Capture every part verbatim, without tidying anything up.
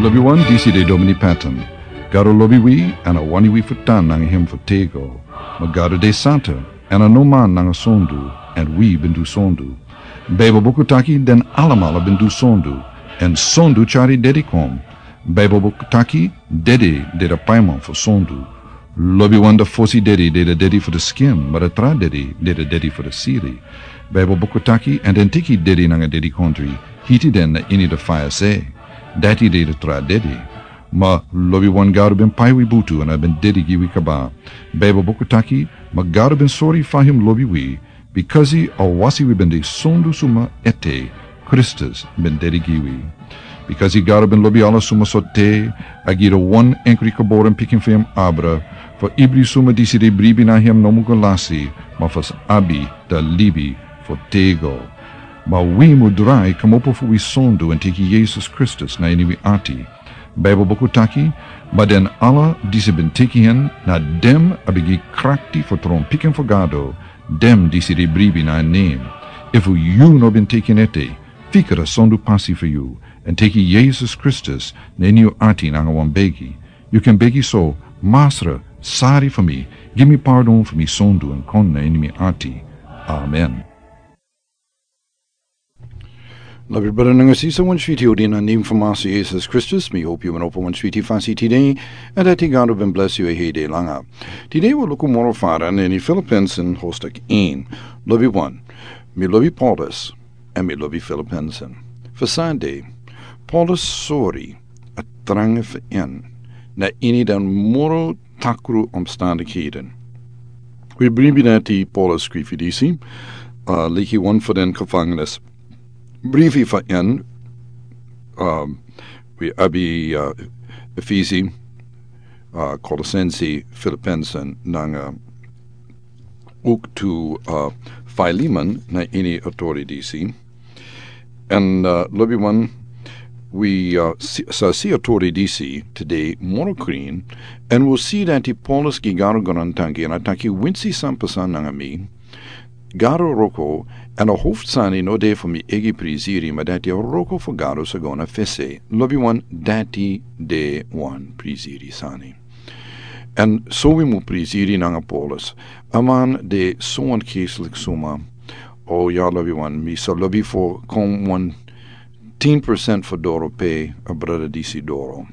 Lobi wan, disi de Domini Patton. Gado lobi wi, èn a wani wi fu tan nanga hem fu tego. Ma Gado de santa, èn a no man nanga sondu, èn wi ben du sondu. Baibel buku taki den alamala ben du sondu, èn sondu tyari dedi kon. Baibel buku taki dedi de de paiman fu sondu. Lobi wan, de fosi dedi de de dedi fu de skin, ma de tra dedi de de dedi fu de siri. Baibel buku taki, èn den teki dedi nanga dedikondri, hiti den na ini de faya se. Dati de de tra dedi. Ma lobi wan, Gado ben pai wi butu èn a ben dedi gi wi kaba. Baibel buku taki, ma Gado ben sori fa hem lobi wi, bikasi a wasi wi ben de sondu suma ete, Kristus ben dedi gi wi. Bikasi Gado ben lobi ala suma so te, a gi de wan enkri geboren pikin fu hem abra, fu ibri suma disi de bribi na hem no mu go lasi, ma fu abi de libi fu tego. Ma wi mu drai komopo fu wi sondu èn teki Yesus Kristus na ini wi ati. Baibel buku taki, ma den ala disi ben teki hen, na dem a ben gi krakti fu tron pikin fu Gado, dem disi de bribi na nen. Efu yu no ben teki en ete, fika de sondu pasi fu yu, èn teki Yesus Kristus na ini yu ati nanga wan begi. Yu kan begi so: Masra, sari fu mi, gi mi pardon fu mi sondu èn kon na ini mi ati. Amen. Lobi brada nanga sisa, wan switi odi na nen fu Masra Yesus Kristus. Mi hopi yu ben opo wan switi fasi tide, èn dati Gado ben blesi yu e hei de langa. Tide wi luku moro fara na ini Filipensen hostak en. Lobi wan, mi lobi Paulus, èn mi lobi Filipensen. Fu san de, Paulus sori a tranga fu en na ini den moro takru omstandighede. Wi bribi na di Paulus skrifi disi, uh, leki wan fu den gevangenis brifi fu en, um, wi abi, uh, Efesi, uh, Kolosensi, Filipensen, nanga ook tu, uh, Filemon na ini a tori disi. Èn, uh, lobi wan, wi, uh, si, sa si a tori disi tide moro krin, èn wi si dati Paulus gi Gado grantangi èn a taki: Winsi san pasa nanga mi, Gado wroko, èn a hofsani no de fu mi eigi prisiri, ma dati a wroko fu Gado sa go na fese. Lobi wan, dati de wan prisiri sani. Èn so wi mu prisiri nanga Paulus. A man de so wan keslik suma. O ya, lobi wan, mi sa lobi fu kon wan tin percent fu doro pe a brada disi doro.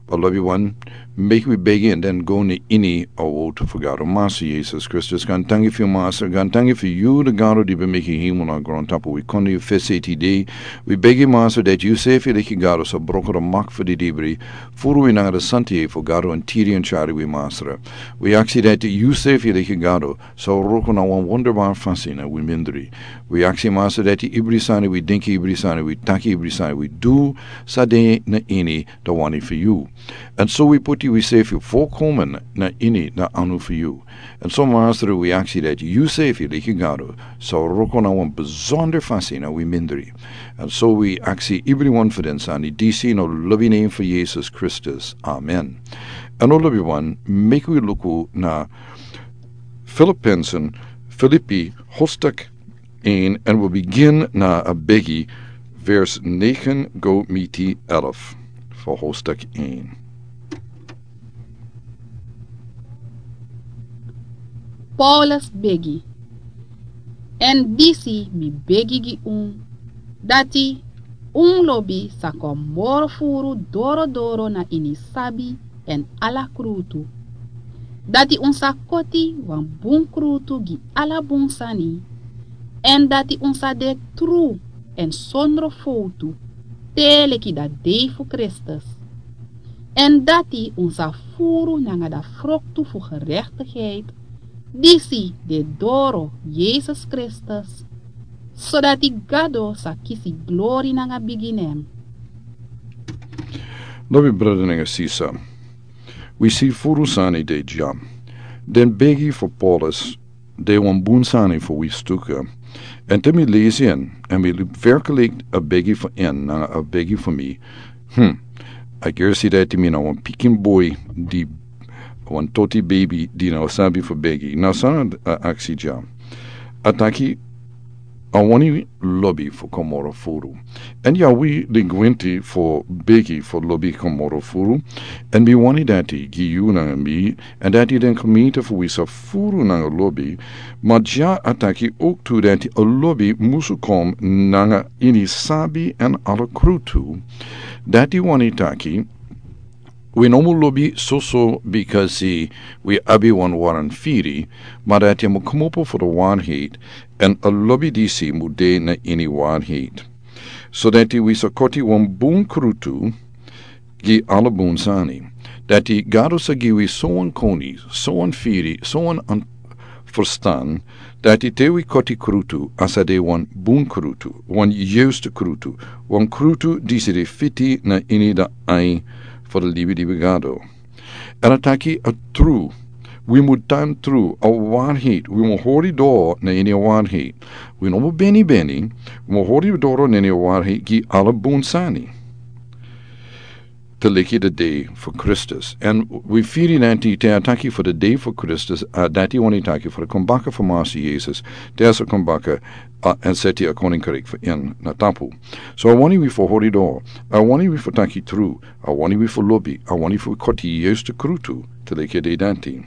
But lobi wan, meki wi begi èn den go na ini a wotu fu Gado. Masra Yesus Kristus, grantangi fu yu, Masra, grantangi fu yu, de Gado di ben meki hemel nanga grontapu. Wi kon na yu fesi tide. Wi begi, Masra, dati yu sefi leki Gado sa broko de mak fu di dibri, furu wi nanga de santa yeye fu Gado, èn tiri èn tyari wi, Masra. Wi aksi dati yu sefi leki Gado sa wroko na wan wonderbari fasi na wi mindri. Wi aksi, Masra, dati ibri sani wi dinki, ibri sani wi taki, ibri sani wi du, sa de na ini de wani fu yu. Èn so wi poti wi sefi volkomen na ini de anu fu yu. Èn so, Masra, wi aksi dati yu sefi leki Gado sa wroko na wan besonder fasi na wi mindri. Èn so wi aksi ibri wan fu den sani disi na lobi nen fu Yesus Kristus. Amen. Èn o lobi wan, meki wi luku na Filipensen, Filipi, hostak en, èn wi bigin na a begi, vers negen go miti elf fu hostak en. Paulus begi. Èn disi mi begi gi un, dati un lobi sa kon moro furu dorodoro na ini sabi èn ala krutu. Dati un sa koti wan bun krutu gi ala bun sani, èn dati un sa de tru èn sondro fowtu, te leki da dei fu Kristus. Èn dati un sa furu nanga da froktu fu gerechtigheid, disi de doro Yesus Kristus, sodati Gado sa kisi glori nanga bigi nen. Lobi brada nanga sisa, wi si furu sani de dya. Den begi fu Paulus de wan bun sani fu wi stuku. Èn te mi lesi en, èn mi verkelijk a begi fu en nanga a begi fu mi. Hmm. A gersi dati mi na wan pikin boi di, wan toti baby di no sabi fu begi. Na san a aksi dya. A taki, A wani lobi fu kon moro furu. Èn ya wi de gwenti fu begi fu lobi kon moro furu. Èn mi wani dati gi yu nanga mi, èn dati den komiti fu wi sa furu nanga lobi. Ma dya a taki owktu dati a lobi musu kon nanga ini sabi èn ala krutu. Dati wani taki wi no mu lobi soso bikasi wi abi wan waran firi, ma dati a mu kmopo fu de wanheit, èn a lobi disi mu de na ini wanheit. So dati wi sa koti wan bun krutu gi ala bun sani. Dati Gado sa gi wi sowan koni, sowan firi, sowan an furstan, dati te wi koti krutu a sa de wan bun krutu, wan yustu krutu, wan krutu disi de fiti na ini de ai fu de libi libi Gado. Èn a taki a tru, wi mu tan tru, a wanheit, wi mu hori doro na ini a wanheit. Wi no mu beni beni, wi mu hori doro na ini a wanheit gi ala bun sani. Te leki de dei fu Kristus. Èn wi firi nanti te a taki fu de dei fu Kristus, a dati wani taki fu de kombaka fu Masi Yesus, te a sa kombaka, a, èn seti a koninkriki fu en na tapu. So a wani wi fu hori doro, a wani wi fu taki tru, a wani wi fu lobi, a wani fu koti yustu krutu, te leki de dati.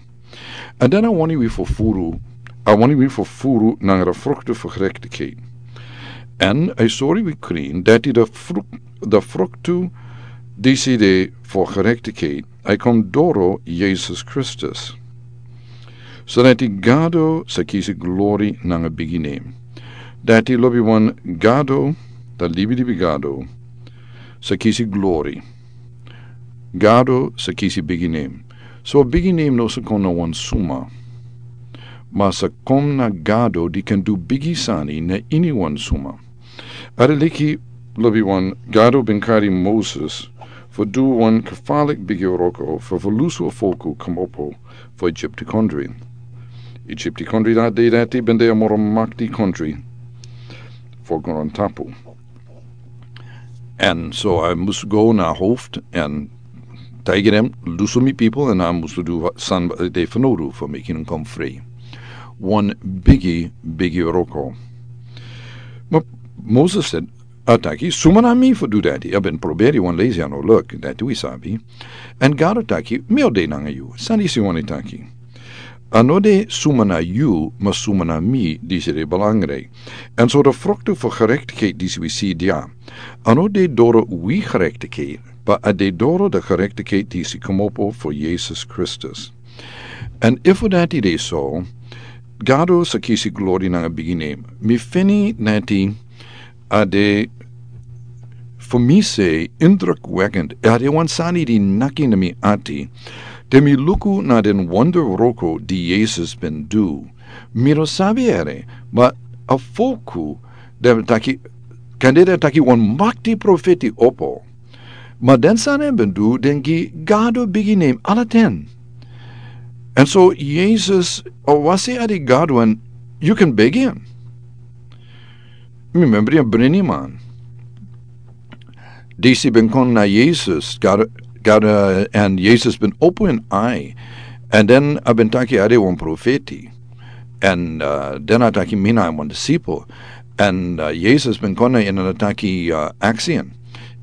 Èn dan a wani wi fu furu, a wani wi fu furu nanga de fruktu fu gerektikheit. Èn a sori wi krin, dati de fruk-, de fruktu disi de fu gerektikheit, a kon doro Yesus Kristus. So dati Gado sa kisi glori nanga bigi nen. Dati lobiwan Gado, de libi libi Gado, sa kisi glori. Gado sa kisi bigi nen. So bigi nen no sa kon na wan suma. Ma sa kon na Gado di kan du bigi sani na ini wan suma. A de leki lobiwan Gado ben kari Moses fu du wan kafalik bigi wroko fu fu lusu a folku kmopo fu Egypti kondri. Egypti kondri dati dei dati ben de a moro makti kondri fu grontapu. Èn so a mus go na hoftu èn taigi den, lusu mi pipel, èn a mus du san dei fanodu fu meki den kon fri. Wan bigi, bigi wroko. Ma Moses sed, a taki, suma na mi fu du dati, a ben proberi wan lesi a no luk, dati wi sabi. Èn Gado taki, mi o de nanga yu, san disi wani taki. A no de suma na yu, ma suma na mi, disi de belangrijk. Èn so de fruktu fu gerektikheit disi wi si dya. A no de doro wi gerektikheit, ma a de doro de gerektikheit disi kmopo fu Yesus Kristus. Èn efu dati de so, Gado sa kisi glori nanga bigi nen. Mi feni dati a de fu mi se indrukwekkend. A de wan sani di naki na mi ati. Te mi luku na den wonder wroko di Yesus ben du. Mi no sabi ere, ma a folku den taki, kande den taki wan makti profeti opo. Ma den sani a ben du, den gi Gado bigi nen ala ten. Èn so Yesus, a wasi a de Gado èn yu kan begi en. Mi membri a briniman. Disi ben kon na Yesus, Gado, Gado, èn Yesus ben opo en ai. Èn den a ben taki a de wan profeti. Èn, uh, den a taki mi na wan disipel. Èn, uh, Yesus ben kon na en èn a taki, uh, aksi en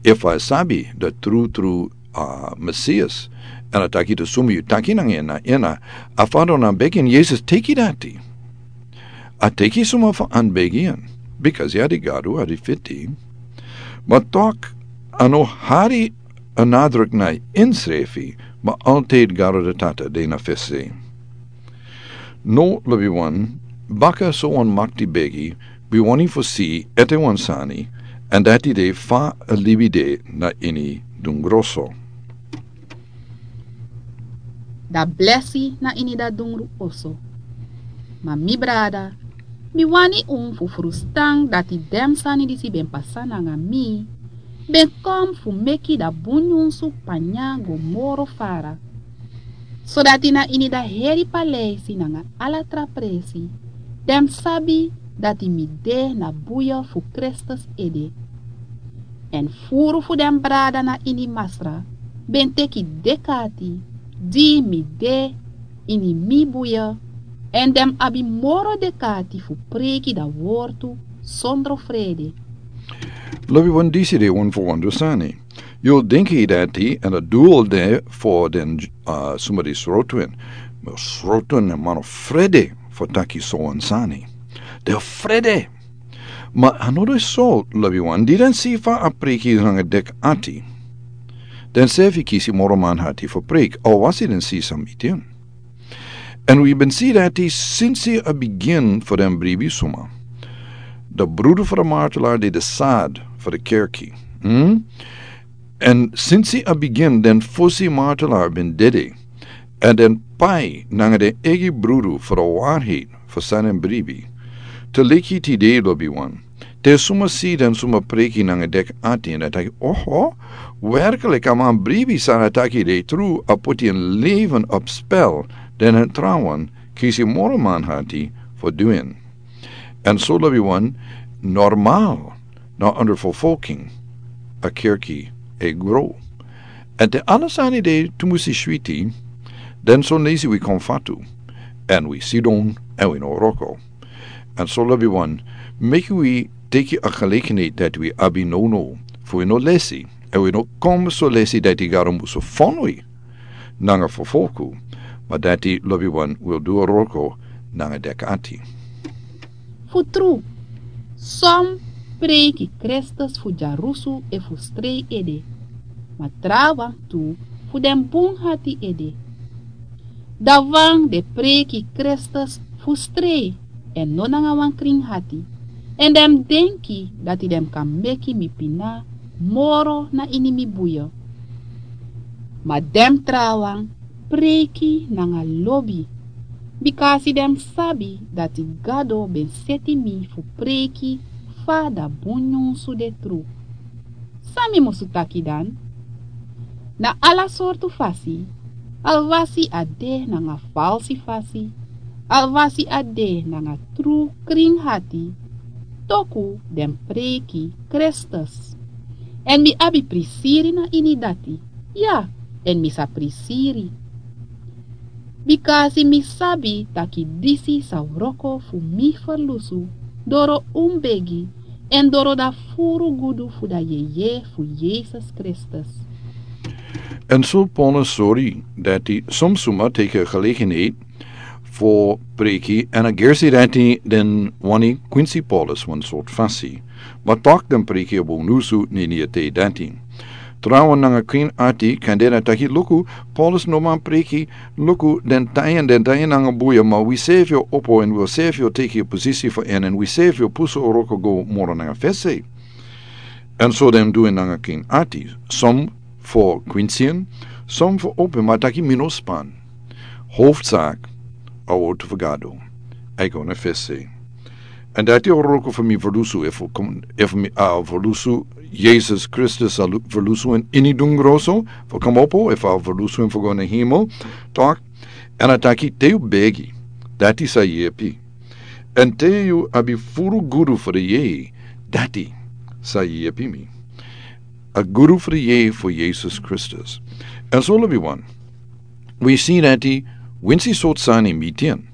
efu a sabi de tru tru, uh, Mesias. Èn a taki de suma yu taki nanga en na en, a Fadon a begi en, Yesus teki dati. A teki suma fu an begi en, bikasi a de Gado, a de fiti. Ma tok, a no hari a nadruk na ensrefi, ma altijd Gado de Tata de na fesi. No lobiwan, baka so wan makti begi, wi wani fu si ete wan sani, èn dati de fa a libi de na ini dungru oso. Da blesi na ini da dungru oso. Ma mi brada, mi wani un fu frustan dati den sani disi ben pasa nanga mi, ben kon fu meki da bun nyunsu panya go moro fara. Sodati na ini da heri paleisi nanga ala tra presi, den sabi dati mi de na buya fu Kristus ede. Èn furu fu den brada na ini Masra ben teki dekati di mi de ini mi buya, èn den abi moro dekati fu preiki da wortu sondro frede. Lobi wan disi de un fu wondru sani. Yu denki dati èn a dul de fu den, uh, suma di srotwin. Ma srotwin e mano frede fu taki so wan sani. De frede. Ma a no de so, lobi wan, di den si fa a preki nanga dek ati. Den sefi kisi moro man hati fu prek, a wasi den si san mi tin. Èn wi ben si dati sinsi a bigin fu den bribi suma. De brudu fu de martelaar di de sad fu de kerki. Hmm? Èn sinsi a bigin den fosi martelaar ben dede. Èn den pai nanga den egi brudu fu de waarheid fu san den bribi. Te leki tide lobi wan. Te suma si den suma preki nanga dek ati èn a taki, oho, werkelijk a man bribi san a taki de tru, a poti en leven op spel, den en trawan, kisi moro man hati fu du en. Èn so lobi wan, normal, na under vervolging, a kerki e grow. Èn te ala sani de tumusi switi, den so nesi wi kon fatu, èn wi sidon, èn wi no wroko. Èn so lobi wan, meki wi teki a gelegenheid dati wi abi now now, fu wi no lesi, èn wi no kon so lesi dati Gado musu fon wi nanga vervolgu, ma dati lobi wan wil du a wroko nanga dek ati. Fu tru, son preki Kristus fu dyarusu efu strei ede, ma trawan tu fu den bun hati ede. Dan wan de preki Kristus fu strei èn no nanga wan krin hati, èn den mus denki dati den kan meki mi pina moro na ini mi buyo. Ma den trawan preki nanga lobi, bika a si den mus sabi dati Gado ben seti mi fu preki fa da bun nyunsu de tru. San mi musu taki dan? Na ala sortu fasi, alwasi a de nanga falsi fasi, alwasi a de nanga tru krin hati, toku den preki Kristus. Èn mi abi prisiri na ini dati, ya, èn mi sa prisiri. Bika a si mi sabi taki disi sa wroko fu mi ferlusu, doro un begi, èn doro da furu gudu fu da yeye fu Yesus Kristus. Èn so Paulus sori dati son suma teki a gelegenheid fu preki èn a gersi dati den wani kwinsi Paulus wan sortu fasi. Ma tok den preki a bun nyunsu na ini a tei dati. Trawan nanga krin ati kan den a taki luku, Paulus no man preki, luku den tayan, den tayan nanga buya, ma wi sefi o opo èn wi sefi o teki a posisi fu en, èn wi sefi o pusu a wroko go moro nanga fesi. Èn so den du en nanga krin ati, son fu kwinsi en, son fu opo en, ma taki mi no span. Hoofdzak, a wortu fu Gado. A e go na fesi. Èn dati a wroko fu mi ferlusu, efu kon, efu mi, a ferlusu, Yesus Kristus a lu-, ferlusu en ini dungro so, fu komopo, efu a ferlusu en fu go na hemel, tok, èn a taki te yu begi, dati sa yepi. Èn te yu abi furu gudu fu de yeye, dati sa yepi mi. A gudu fu de yeye fu Yesus Kristus. Èn so lobi wan. Wi si dati, winsi sortu sani mi tin.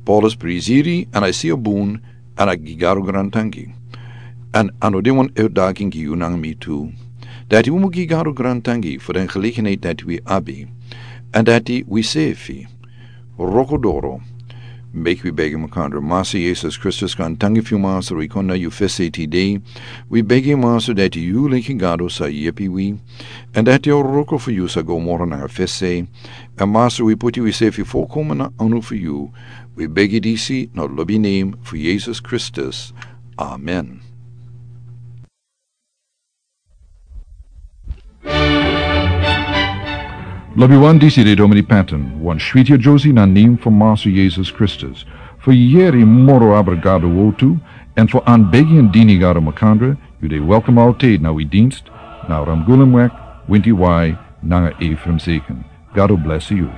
Paulus prisiri, èn a si a bun, èn a gi Gado grantangi. Èn a no de wan uitdaging gi yu nanga mi tu. Dati wi mu gi Gado grantangi fu den gelegenheid dati wi abi. Èn dati wi sefi. Wroko doro. Meki wi begi makandra. Masa Yesus Kristus, grantangi fu yu Masa, wi kon na yu fesi tide. Wi begi Masa dati yu leki Gado sa yepi wi. Èn dati a wroko fu yu sa go moro nanga fesi. Èn Masa, wi poti wi sefi folkomen na anu fu yu. Wi begi disi na lobi nen fu Yesus Kristus. Amen. Lobi wan, disi de Domini Patton, wan switi a Josie na nen fu Masa Yesus Kristus. Fu yere moro abra Gado wortu, èn fu anbegi èn dini Gado makandra, yu de welkom altijd na wi dienst, na Ramgulumweg, winti wai, nanga Ephraim Zeken. Gado blesi yu.